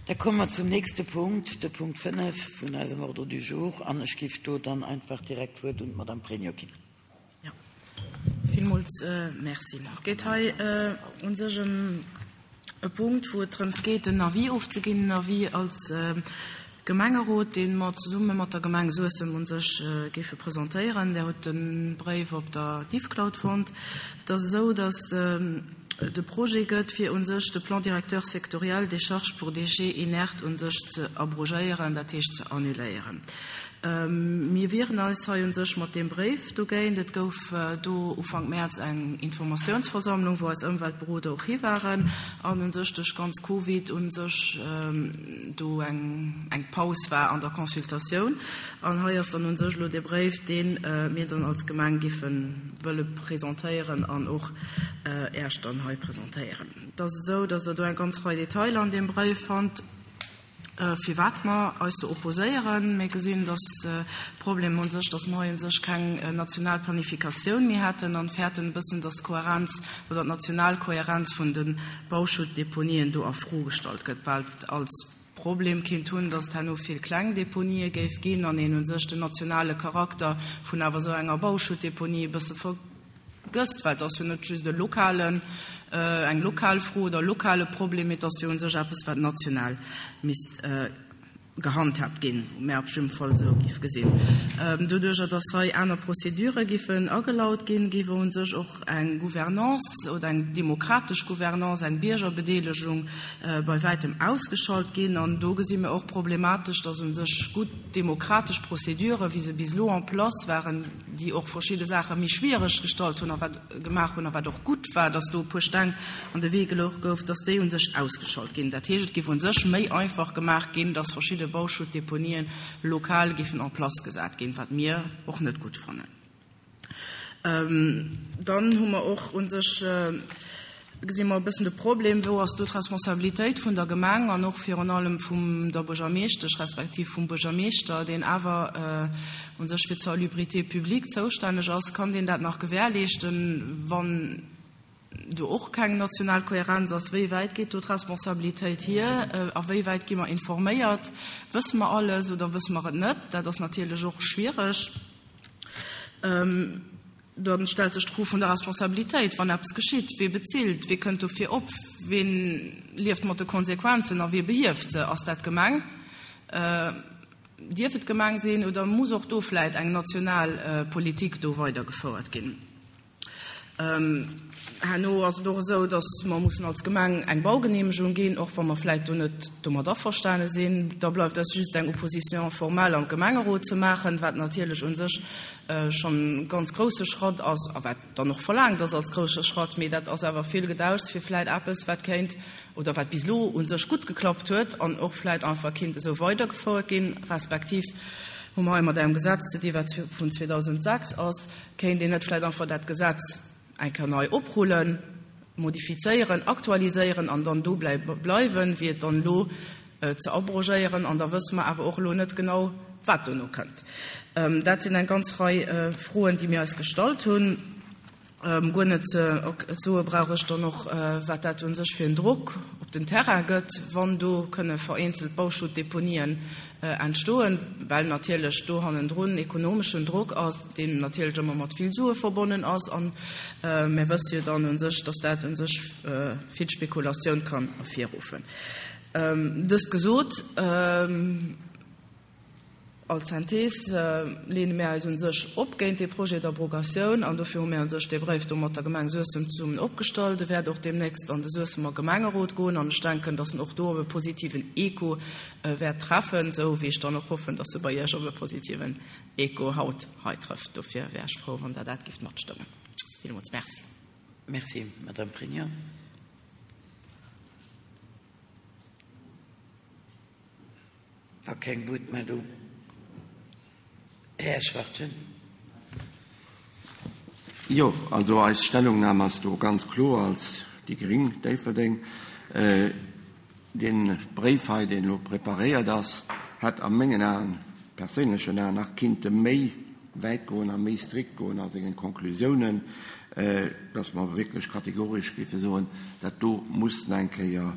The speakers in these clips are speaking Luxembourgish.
Da komme mer zum nächste Punkt, de Punkt 5 vun eisem Ordre du jour, an ech géif do dann einfach direkt d'Wuert un d'Madame Pregno ginn. Jo, villmools Merci. Et geet hei u sech ëm e Punkt, wou et drëms geet, en Avis ofzeginn, en Avis als Gemengerot, dee mer zesumme mat der Gemeng Suessem u sech géife presentéieren. Där hutt de Bréif op der Diffcloud fonnt. Et ass esou, dass et e Projet gëtt, fir u sech de Plan directeur sectoriel des charges pour déchets inertes u sech ze abrogéieren, dat heescht ze annuléieren. Mir wieren eis hei u sech mat deem Bréif dogéint. Et gouf do Ufank Mäerz eng Informatiounsversammlung, wou eis Ëmweltberoder och hi waren an u sech duerch ganz Covid u sech do eng eng Paus war an der Consultatioun. An hei ass dann u sech elo dee Bréif, dee mir dann als Gemeng giffe wëlle presentéieren an och Äech dann hei presentéieren. Et ass esou, datt Der do eng ganz Rei Detailer an deem Bréif fannt. Firwat mer eis do opposéieren? Mir gesinn, dass de Problem u sech, dass mer hei u sech keng national Planifikatioun méi hätten an fäerten e bëssen, dass d'Kohärenz oder d'national Kohärenz vun de Bauschuttdeponien do a Fro gestallt gëtt, well et als Problem kinnt hunn, dass et herno vill kleng Deponië géif ginn an een u sech den nationale Charakter vun awer esou enger Bauschuttdeponie e bësse Gësst, well et ass jo net just e lokalen, eng lokal Fro oder e lokale Problem, mee et ass jo u sech eppes, wat national misst gehandhaabt ginn, wou mär op jidde Fall esou géif gesinn. Doduerjer, dass hei aner Procédurë géifen agelaut ginn, géif u sech och eng Gouvernance oder eng demokratesch Gouvernance, eng Biergerbedeelegung bei wäitem ausgeschalt ginn. An do gesi mir och problematesch, dass u sech gutt demokratesch Procédurë, wéi se bis elo en place waren, déi och verschidde Saache méi schwiereg gestallt hunn a wat gemaach hunn a wat och gutt war, dass do e puer Steng an de Wee gelouch gouf, dass déi u sech ausgeschalt ginn. Dat heescht, et géif u sech méi einfach gemaach ginn, dass verschidde Bauschuttdeponien lokal géifen en place gesat ginn, wat mir och net gutt fannen. Dann hu mer och u sech, gesi mer e bëssen de Problem, wou ass do d'Responsabilitéit vun der Gemeng an och virun allem vum der Buergermeeschtesch respektiv vum Buergermeeschter, deen awer u sech fir d'Salubrité publique zoustänneg ass, kann deen dat nach gewährleeschten, wann do och keng national Kohärenz ass? Wéi wäit geet do d'Responsabilitéit hier? A wéi wäit gi mer informéiert? Wësse mer alles oder wësse mer et net? Dat ass natierlech och schwiereg. Dann stellt sech d'Fro vun der Responsabilitéit, wann eppes geschitt, Wee bezilt? Wee kënnt dofir op? Ween lieft mat de Konsequenzen a wee behieft se? Ass dat d'Gemeng? Dierf et d'Gemeng sinn oder muss och do vläit eng national Politik do weidergefouert ginn? Herno ass et och esou, datt mer mussen als Gemeng eng Baugenehmegung ginn, och wa mer vläit do net domat averstane sinn. Da bleift eis just eng Opposition formelle am Gemengerot ze maachen, wat natierlech u sech schonn e ganz grousse Schratt ass a wat dann och verlaangt ass als grousse Schratt. Mee dat ass awer vill Gedauschs fir vläit eppes, wat kéint oder wat bis elo u sech gutt geklappt huet an och vläit einfach kinnt esou weidergefouert ginn, respektiv hu mer hei mat engem Gesetz ze di wat vun 2006 ass, Kéint een net vläicht einfach dat Gesetz eng Kéier nei oprullen, modifizéieren, aktualiséieren an dann dobäi bleiwen, wéi et dann elo ze abrogéieren? An da wësse mer awer och elo net genau, wat dono kënnt. Dat sinn eng ganz Rei Froen, déi mir eis gestallt hunn. Guer net ze soe brauch ech dann och, wat dat u sech fir en Drock op den Terrain gëtt, wann do kënne vereenzelt Bauschuttdeponien entstoen, well natierlech do hannendrun ekonomeschen Drock ass, deen natierlech ëmmer mat vill Sue verbonnen ass. A mir wësse jo dann u sech, dass dat u sech vill Spekulatioun kann ervirruffen. Dëst gesot, als Synthees leene mir eis u sech op géint dee Projet d'abrogatioun an dofir hu mir u sech dee Bréif do mat der Gemeng Suessem zesummen opgestallt. E wäert och deemnächst an de Suessemer Gemengerot goen an ech denken, dass en och do op e positiven Echo wäert treffen, esou wéi ech dann och hoffen, dass e bei Iech op e positiven Echo haut hei trëfft. Dofir wär ech frou, wann Der dat géift matstëmmen. Villmools Merci. Merci, Madame Pregno. Wa keng Wuertmeldung. Här Schwachtgen. Jo, also eis Stellungnahme ass do ganz kloer als déi gring Déifferdeng. Dee Bréif hei, deen elo preparéiert ass, hätt a mengen Aen, perséinlechen Aen, nach kinnte méi wäit goen a méi strikt goen a sengen Konklusiounen, dass mer wierklech kategoresch géife soen, dat do muss nach eng Kéier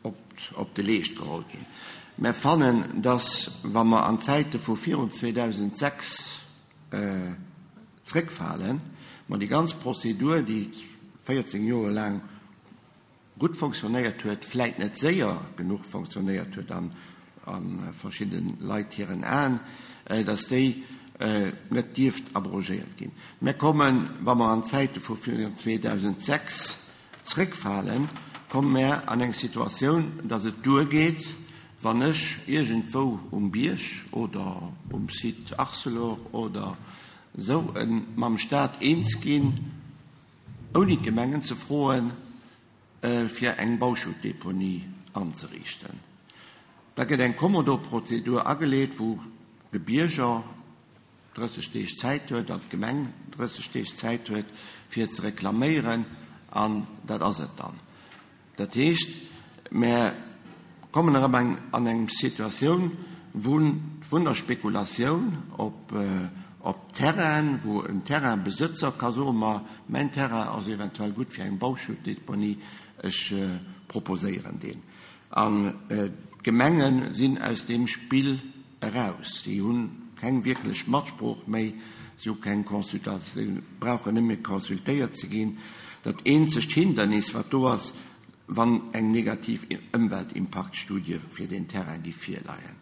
op. op de Leescht geholl ginn. Mär fannen, dass, wa mer an d'Zäite vu virun 2006 zréckfalen, mer déi ganz Prozedur, déi 14 Joer laang gutt fonctionnéiert huet, vläit net séier genuch fonctionnéiert huet an a verschidde Leit hiren Aen, dass déi net dierft abrogéiert ginn. Mär kommen, wa mer an d'Zäite vu virun 2006 zréckfalen, komme mär an eng Situatioun, dass et duergeet, wann ech iergendwou um Bierg oder um Site Arcelor oder esou mam Stat eens ginn, ouni d'Gemengen ze froen, fir eng Bauschuttdeponie anzeriichten. Da gëtt eng Kommodo-Prozedur ageleet, wou de Bierger 30 Deeg Zäit huet an d'Gemeng 30 Deeg Zäit huet, fir ze reklaméieren, an dat ass et dann. Dat heescht, mär kommen erëm eng an eng Situatioun vun vun der Spekulatioun op op Terrainen, wou en Terrainbesëtzer ka soen, ma mäin Terrain ass eventuell gutt fir eng Bauschuttdeponie, ech proposéieren deen. An d'Gemenge sinn aus deem Spill eraus. Si hu keng wierklech Matsprooch méi, si hu keng Consultatioun, brauchen net méi consultéiert ze ginn. Dat eenzegt Hindernis, wat do ass, wann eng negativ Ëmweltimpaktstudie fir deen Terrain géif virleien.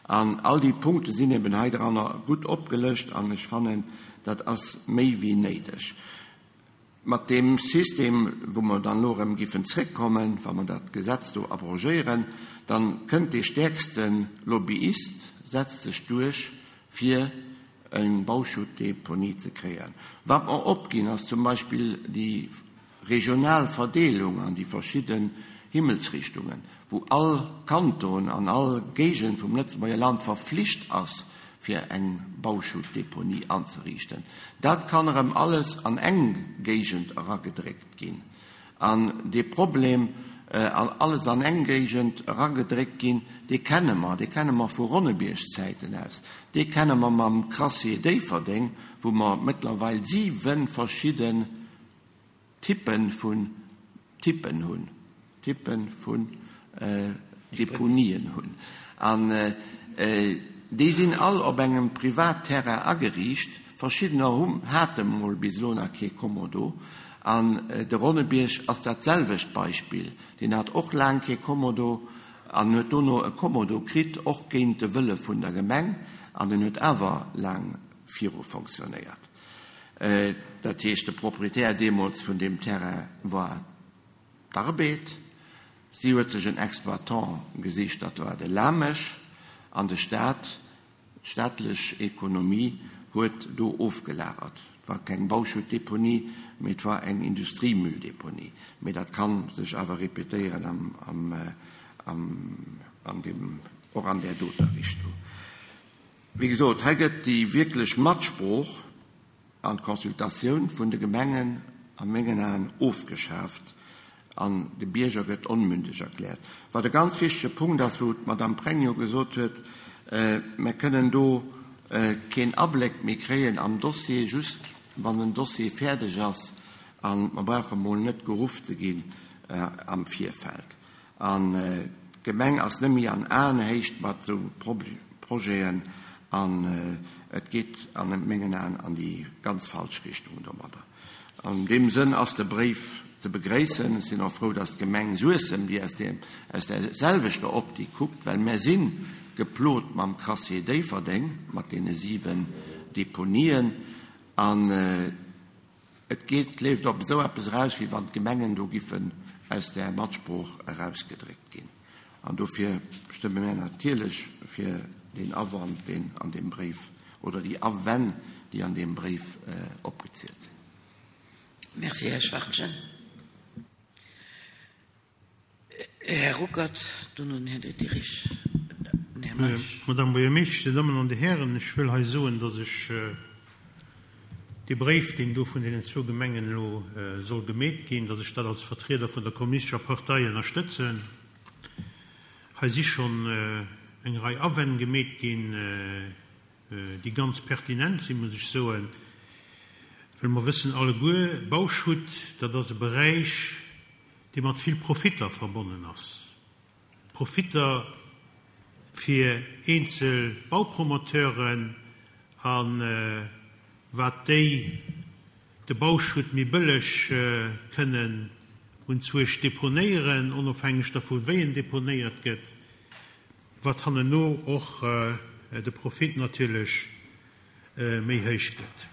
An all déi Punkte sinn eben hei dranner gutt opgelëscht an ech fannen, dat ass méi wéi néideg. Mat deem System, wou mer dann elo erëm giffen zréckkommen, wa mer dat Gesetz do abrogéieren, dann kënnt dee stäerkste Lobbyist, setzt sech duerch, fir eng Bauschuttdeponie ze kréien. Wat mer opginn, ass zum Beispill déi regional Verdeelung an déi verschidden Himmelsrichtungen, wou all Kanton an all Géigend vum Lëtzebuerger Land verflicht ass, fir eng Bauschuttdeponie anzeriichten. Dat kann erëm alles an eng Géigend eragedréckt ginn. An dee Problem, alles an eng Géigend eragedréckt ginn, dee kenne mer, dee kenne mer vu Ronnebierg-Zäiten aus, dee kenne mer mam Crassier Déifferdeng, wou mer mëttlerweil 7 verschidde Typen vun Typen hunn, Typen vun Deponien hunn. An déi sinn all op engem Privatterrain ageriicht. Verschiddener hu hate mol bis elo nach kee Kommodo. An de Ronnebierg ass dat selwecht Beispill. Deen hat och laang kee Kommodo an huet dono e Kommodo kritt, och géint de Wëlle vun der Gemeng. An en huet awer laang viru fonctionnéiert. Dat heescht, de Proprietär deemools vun deem Terrain war d'Arbed. Si huet sech en Exploitant gesicht, dat war de Lamesch, an de Staat, d'staatlech Ekonomie huet do ofgelagert. Et war keng Bauschuttdeponie, mee et war eng Industriemülldeponie. Mee dat ka sech awer repetéieren an deem, och an där doter Richtung. Wéi gesot, hei gëtt déi wierklech Matsprooch an d'Consultatioun vun de Gemengen a mengen Aen ofgeschaaft an de Bierger gëtt onmündeg erkläert. Wat e ganz wichtege Punkt ass, wou d'Madame Pregno gesot huet, Mer kënnen do keen Abléck méi kréien am Dossier, just wann den Dossier fäerdeg ass, a mer brauche mol net geruff ze ginn am Virfeld. An d'Gemeng ass net méi an Aenhéicht mat esou Projeten an et geet a mengen Aen an déi ganz falsch Richtung domadder. An deem Sënn ass de Bréif ze begréissen. Ech sinn och frou, dass d'Gemeng Suessem, déi aus där selwechter Optik kuckt, well mär si geplot mam Crassier Déifferdeng, mat deene 7 Deponien, an Et geet, leeft op esou eppes eraus, wéi wann d'Gemengen do giffen aus där Matsprooch erausgedréckt ginn. An dofir stëmme mär natierlech fir deen Awand, deen an deem Bréif, oder déi Awänn, déi an deem Bréif opgezielt sinn. Merci, Här Schwachtgen. Här Ruckert, dono den Här Diderich, den Här Meisch. Madame Buergermeeschtesch, Dir Dammen an Dir Hären, ech wëll hei soen, dass ech dee Bréif, deen do vun deenen zwou Gemengen elo soll gemeet ginn, dass ech dat als Vertrieder vun der Kommunistescher Partei ënnerstëtzen. Hei si schonn eng Rei Awänn gemeet ginn, déi ganz pertinent sinn, muss ech soen, well mer wëssen alleguer, Bauschutt, dat ass e Beräich, dee mat vill Profitter verbonnen ass. Profitter fir eenzel Baupromoteuren a wat déi de Bauschutt méi bëlleg kënnen unzwuesch deponéieren, onofhängeg dervu wéi en deponéiert gëtt, wat hannenno och de Profit natierlech méi héich gëtt.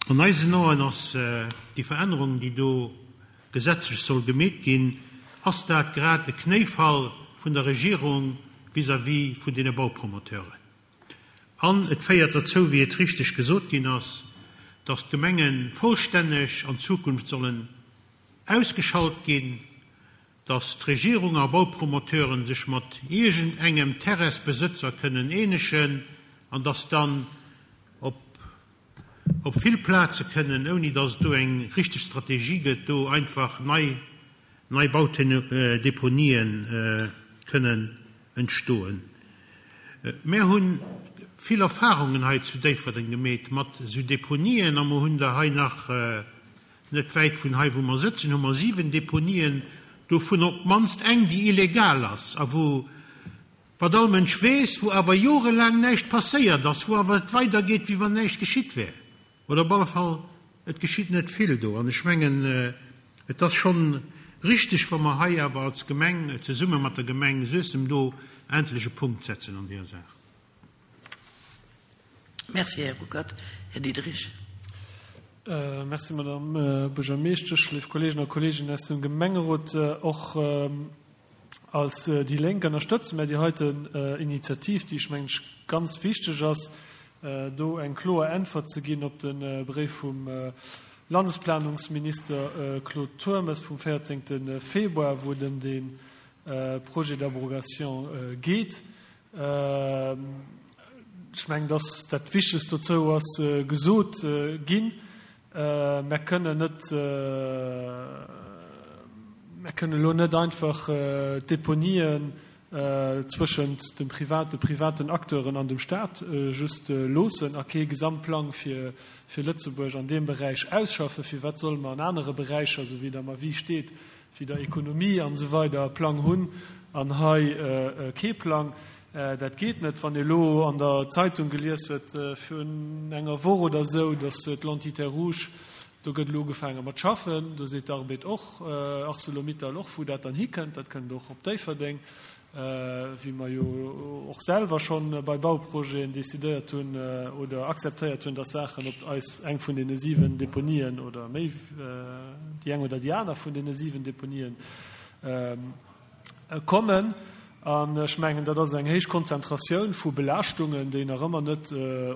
An eisen Aen ass déi Verännerung, déi do gesetzlech soll gemeet ginn, ass dat grad e Knéifall vun der Regierung vis-à-vis vun deene Baupromoteuren. An et féiert derzou, wéi et richteg gesot ginn ass, dass d'Gemenge vollstänneg an Zukunft sollen ausgeschalt ginn, dass d'Regierung a Baupromoteuren sech mat iergend engem Terrainsbesëtzer kënnen eenegen an dass dann op op vill Plaze kënnen, ouni dass et do eng richteg Strategie gëtt, do einfach nei nei Baudeponien kënnen entstoen. Mär hu vill Erfahrungen hei zu Déifferdeng gemeet mat esou Deponien a mer hunn der hei nach net wäit vun hei wou mer sëtzen, hu mer 7 Deponien, dovun op d'mannst eng déi illegal ass a wou Wat all Mënsch weess, wou awer jorelaang näischt passéiert ass, wou awer et weidergeet, wéi wann näischt geschitt wär, oder op alle Fall et geschitt net vill do. An ech mengen, et ass schonn richtig, wa mer hei awer als Gemeng zesumme mat der Gemeng Suessem do endlech e Punkt setzen an deeër Saach. Merci, Här Ruckert. Här Diderich. Merci, Madame Buergermeeschtesch, léif Kolleegen a Kolleeginnen aus dem Gemengerot. Och Als déi Lénk ënnerstëtze mär déi heiten Initiativ, déi, ech mengen, ganz wichteg ass, do eng kloer Äntwert ze ginn op de Bréif vum Landesplanungsminister Claude Turmes vum 14. Februar, wou et ëm dee Projet d'abrogation geet. Ech mengen, dass dat Wichtegst dozou ass gesot ginn. Mär kënnen net, mär kënnen elo net einfach d'Deponien zwëschent dem Privat, de privaten Acteuren an dem Stat just loossen a kee Gesamtplang fir Lëtzebuerg an deem Beräich ausschaffen. Firwat solle mer an anere Beräicher, esou wéi et am Avis steet, wéi der Ekonomie an esou weider e Plang hunn an hei kee Plang? Dat geet net. Wann ee elo an der Zeitung gelies huet virun enger Woch oder esou, datt d'Lentité rouge, do gëtt elo ugefaange mat schaffen, do seet d'Arbed och, Arcelor-Mittal och, wou dat dann hikënnt, dat kënnt och op Déifferdeng, wéi mer jo och selwer scho bei Bauprojeten decidéiert hunn oder akzeptéiert hunn, datt Saachen op eis, eng vun deene 7 Deponien oder méi, déi eng oder déi aner vun deene 7 Deponien, Kommen. An ech mengen, dat ass eng héich Konzentratioun vu Belaaschtungen, déi nach ëmmer net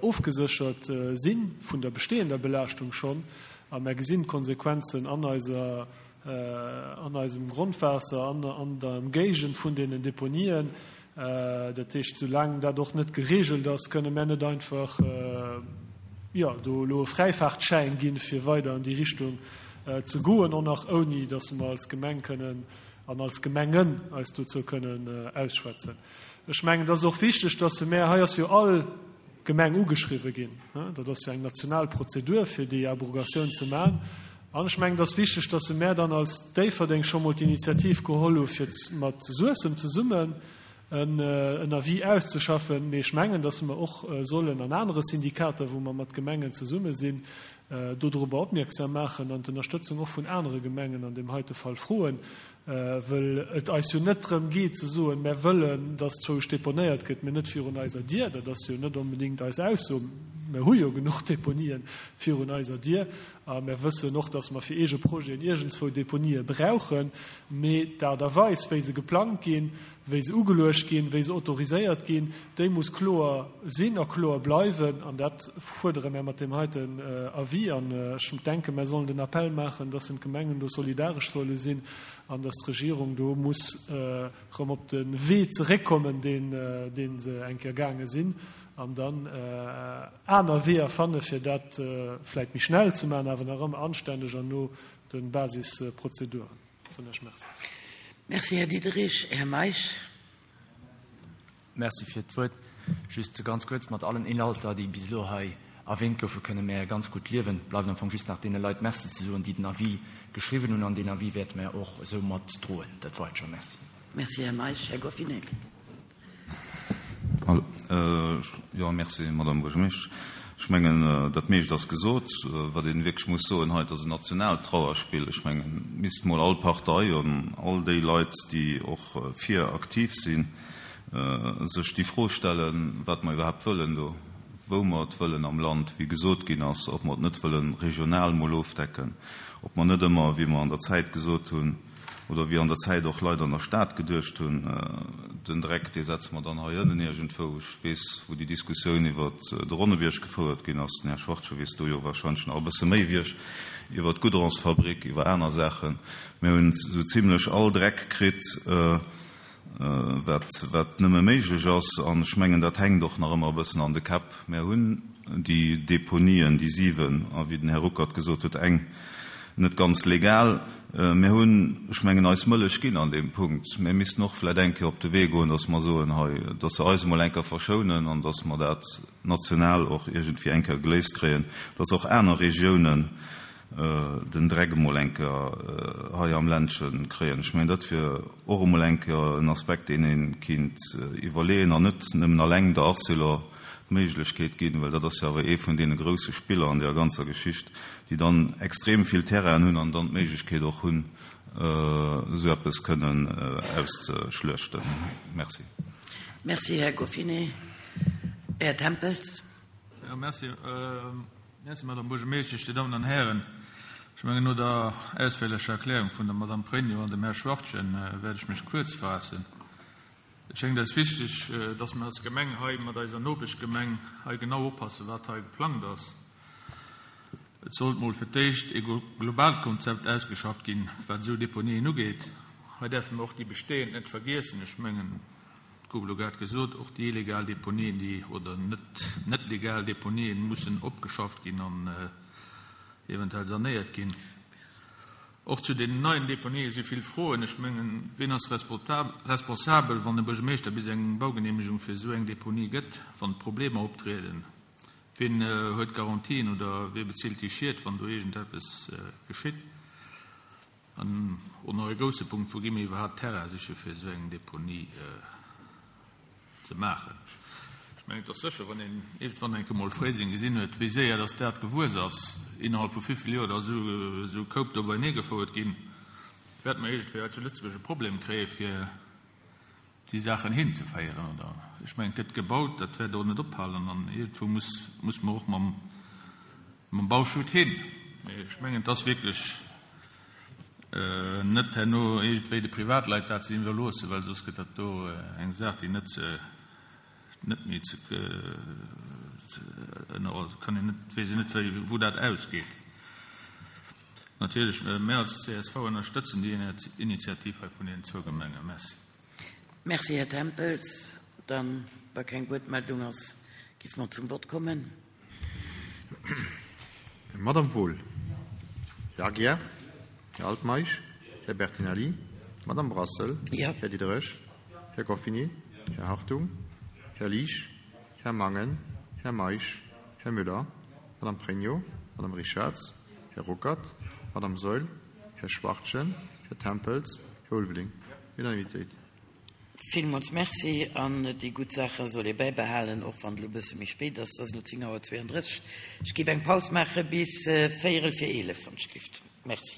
ofgeséchert si vun der bestehender Belaaschtung schonn. A mer gesinn d'Konsequenzen an eiser, an eisem Grondwaasser, an an der Ëmgéigend vun deenen Deponien. Dat heescht, soulaang dat och net geregelt ass, kënne mer net einfach, jo, do elo e Fräifaartschäin ginn, fir weider an déi Richtung ze goen, och nach ouni datt mer als Gemeng kënnen an als Gemengen eis dozou kënnen ausschwätzen. Ech mengen, et ass och wichteg, dass se mär, hei ass jo all Gemeng ugeschriwwen ginn, dat ass jo eng national Prozedur, fir déi Abrogatioun ze maachen, an ech mengen, et ass wichteg, dass se mär dann als Déifferdeng scho mol d'Initiativ geholl hu fir mat Suessem zesummen en Avis auszeschaffen. Mee ech mengen, dass mer och sollen an anere Syndikater, wou mer mat Gemengen zesumme sinn, dodrobber opmierksam maachen an d'Ënnerstëtzung och vun anere Gemengen an deem heite Fall froen, wëll et eis jo net drëm geet ze soen, mär wëllen, dass zwousch deponéiert gëtt, mee net virun eiser Dier. Dat ass jo net onbedéngt eis Ausso. Mär hu jo genuch Deponien virun eiser Dier a mär wëssen och, dass mer fir eege Projeten iergendswou Deponië brauchen, mee d'Aart a Weis, wéi se geplangt ginn, wéi se ugeluecht ginn, wéi se autoriséiert ginn, déi muss kloer sinn a kloer bleiwen. An dat fuerdere mär mat deem heiten Avis. An ech denken, mär sollen den Appell maachen, dass d'Gemengen do solidaresch solle sinn an dass d'Regierung do muss erëm op de Wee zeréckkommen, deen, dee se eng Kéier gaange sinn, an dann aner Weeër fanne fir dat vläicht méi schnell ze maachen, awer nach ëmmer anstänneg an no de Basisprozeduren. Soen ech Merci. Merci, Här Diderich. Här Meisch. Merci fir d'Wuert. Just ganz kuerz, Mat allen Inhalter, déi bis elo hei erwähnt goufen, kënne mär ganz gutt liewen. Et bleift am Fong just nach deene Leit Merci ze soen, déi den Avis geschriwwen hunn. An deen Avis wäerte mär och esou mat droen. Dat war et scho. Merci. Merci, Här Meisch. Här Goffinet. Jo, merci, Madame Buergermeeschtesch. Ech mengen, dat meescht ass gesot. Wat ee wierklech muss soen hei, et ass en nationaalt Trauerspill. Ech mengen, misst mol all Partei an all déi Leit, déi och fir aktiv sinn, sech déi Fro stellen, wat mer iwwerhaapt wëllen do, wou mer et wëllen am Land, wéi gesot ginn ass, ob mer et net wëlle regional mol ofdecken, ob mer net ëmmer, wéi mer an der Zäit gesot hunn, oder wéi an der Zäit och Leit an der Stad geduecht hunn, den Dreck, dee setze mer dann hei ënnen iergendwou. Ech weess, wou déi Diskussioun iwwer de Ronnebierg gefouert ginn ass, den Här Schwachtgen weess do jo wahrscheinlech nach e bësse méi wéi ech, iwwer d'Goudronsfabrik, iwwer aner Saachen. Mir hunn esou zimlech all Dreck kritt, wat, wat nëmme méiglech ass. An ech mengen, dat hänkt och nach ëmmer e bëssen an de Käpp. Mär hunn déi Deponien, déi 7, a wéi den Här Ruckert gesot huet, eng net ganz legal. Mär hunn, ech mengen, eis Mëllech ginn an deem Punkt. Mär missten och vläicht eng Kéier op de Wee goen, dass mer soen, hei, dass se eis emol eng Kéier verschounen an dass mer dat national och iergendwéi eng Kéier geléist kréien, dass och aner Regiounen den Dreck emol eng Kéier hei am Ländche kréien. Ech mengen, dat wier och emol eng Kéier en Aspekt, deen ee kinnt iwwerleeën an net nëmmen alleng der Arcelor d'Méiglechkeet ginn, well dat ass jo awer ee vun deene grousse Spiller an deer ganzer Geschicht, déi dann extrem vill Terrainen hunn an dann d'Méiglechkeet och hunn, esou eppes kënnen auszeschluechten. Merci. Merci, Här Goffinet. Här Tempels. Jo, merci. Merci, Madame Buergermeeschtesch, Dir Dammen an Hären. Ech mengen, no der ausféierlecher Erklärung vun der Madame Pregno an dem Här Schwachtgen wäert ech mech kuerz faassen. Et schéngt eis wichteg, dass mir als Gemeng hei mat eiser Nopeschgemeng hei genau oppassen, wat hei geplangt ass. Et sollt mol fir d'éischt ee globaalt Konzept ausgeschafft ginn, wat esou Deponien ugeet. Hei däerfe mir och déi bestehend net vergiessen. Ech mengen, et gouf elo grad gesot, och déi illegal Deponien, déi, oder net net legal Deponien mussen opgeschafft ginn an eventuell sanéiert ginn. Och zu deenen neien Deponië si vill Froen. Ech mengen, wien ass responsabel, wann de Buergermeeschter bis eng Baugeneemegung fir esou eng Deponie gëtt, wann Problemer optrieden? Wien huet Garantien oder wie bezilt déi Schied, wann do iergendeppes geschitt? An och nach e grousse Punkt, Wou gi mir iwwerhaapt Terrain siche fir esou eng Deponie? Ze maachen. Ech mengen, et ass sécher, wann een iergendwann eng Kéier mol Fréiseng gesinn huet, wéi séier dass dat gewuess ass, innerhalb vu vivill Joer, dass esou Koup do beienee gefouert ginn, wäerte mer iergendwéi hei zu Lëtzebuerg e Problem kréie fir déi Saachen hinzeféieren. Oder ech mengen, et gëtt gebaut, dat wäert och net ophalen an iergendwou muss, muss mer och mam, mam Bauschutt hin. Mee ech mengen, et ass wierklech Net herno iergendwéi de Privatleit dat ze iwwerloossen, well soss gëtt dat do eng Saach, déi net ze, net méi ze, ënner, kann een net, weess een net, wéi, wou dat ausgeet. Natierlech, mir als csv ënnerstëtzen déi Initiativ hei vun deenen zwou Gemengen. Merci. Merci, Här Tempels. Dann, wa keng Wuertmeldung ass, géife mer zum Vott kommen. Madame Wohl, Här Aguiar, Här Altmeisch, Här Bertinelli, Madame Brassel, Här Diderich, Här Goffinet, Här Hartung, Här Liesch, Här Mangen, Här Meisch, Här Müller, Madame Pregno, Madame Richarz, Här Ruckert, Madame Saeul, Här Schwachtgen, Här Tempels, Här Ulveling. Unanimitéit. Villmools Merci. An déi gutt Saache soll ee bäibehalen, och wann et elo e bësse méi spéit ass. Et ass elo 10 Auer 32. Ech géif eng Paus maache bis véierel vir 11, wann ech dierft. Merci.